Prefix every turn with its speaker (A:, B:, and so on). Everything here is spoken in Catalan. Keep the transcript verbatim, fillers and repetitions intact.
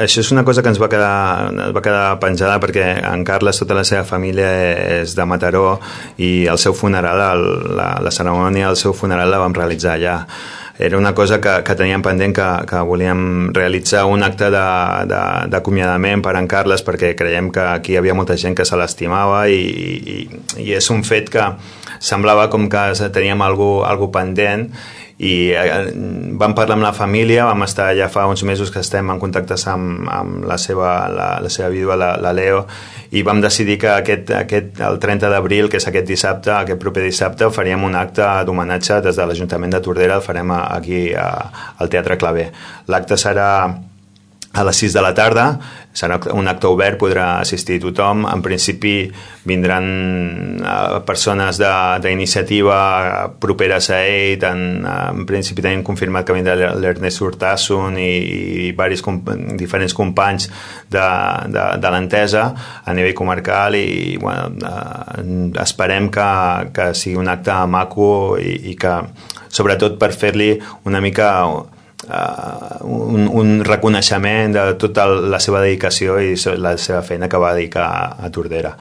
A: Això és una cosa que ens va quedar, ens va quedar penjada perquè en Carles, tota la seva família és de Mataró i el seu funeral, el, la, la cerimònia del seu funeral la vam realitzar allà. Era una cosa que, que teníem pendent, que, que volíem realitzar un acte d'acomiadament per en Carles, perquè creiem que aquí hi havia molta gent que se l'estimava i, i, i és un fet que semblava com que teníem alguna cosa pendent, i vam parlar amb la família, vam estar ja fa uns mesos que estem en contacte amb, amb la, seva, la, la seva vídua, la, la Leo, i vam decidir que aquest, aquest, el trenta d'abril, que és aquest dissabte, aquest proper dissabte, faríem un acte d'homenatge des de l'Ajuntament de Tordera, el farem aquí a, al Teatre Claver. L'acte serà a les sis de la tarda, serà un acte obert, podrà assistir tothom. En principi vindran persones d'iniciativa properes a ell, tant, en principi tenim confirmat que vindrà l'Ernest Urtasun i, i varis, diferents companys de, de, de l'Entesa a nivell comarcal, i bueno, esperem que, que sigui un acte maco i, i que, sobretot per fer-li una mica Uh, un, un reconeixement de tota la seva dedicació i la seva feina que va dedicar a Tordera.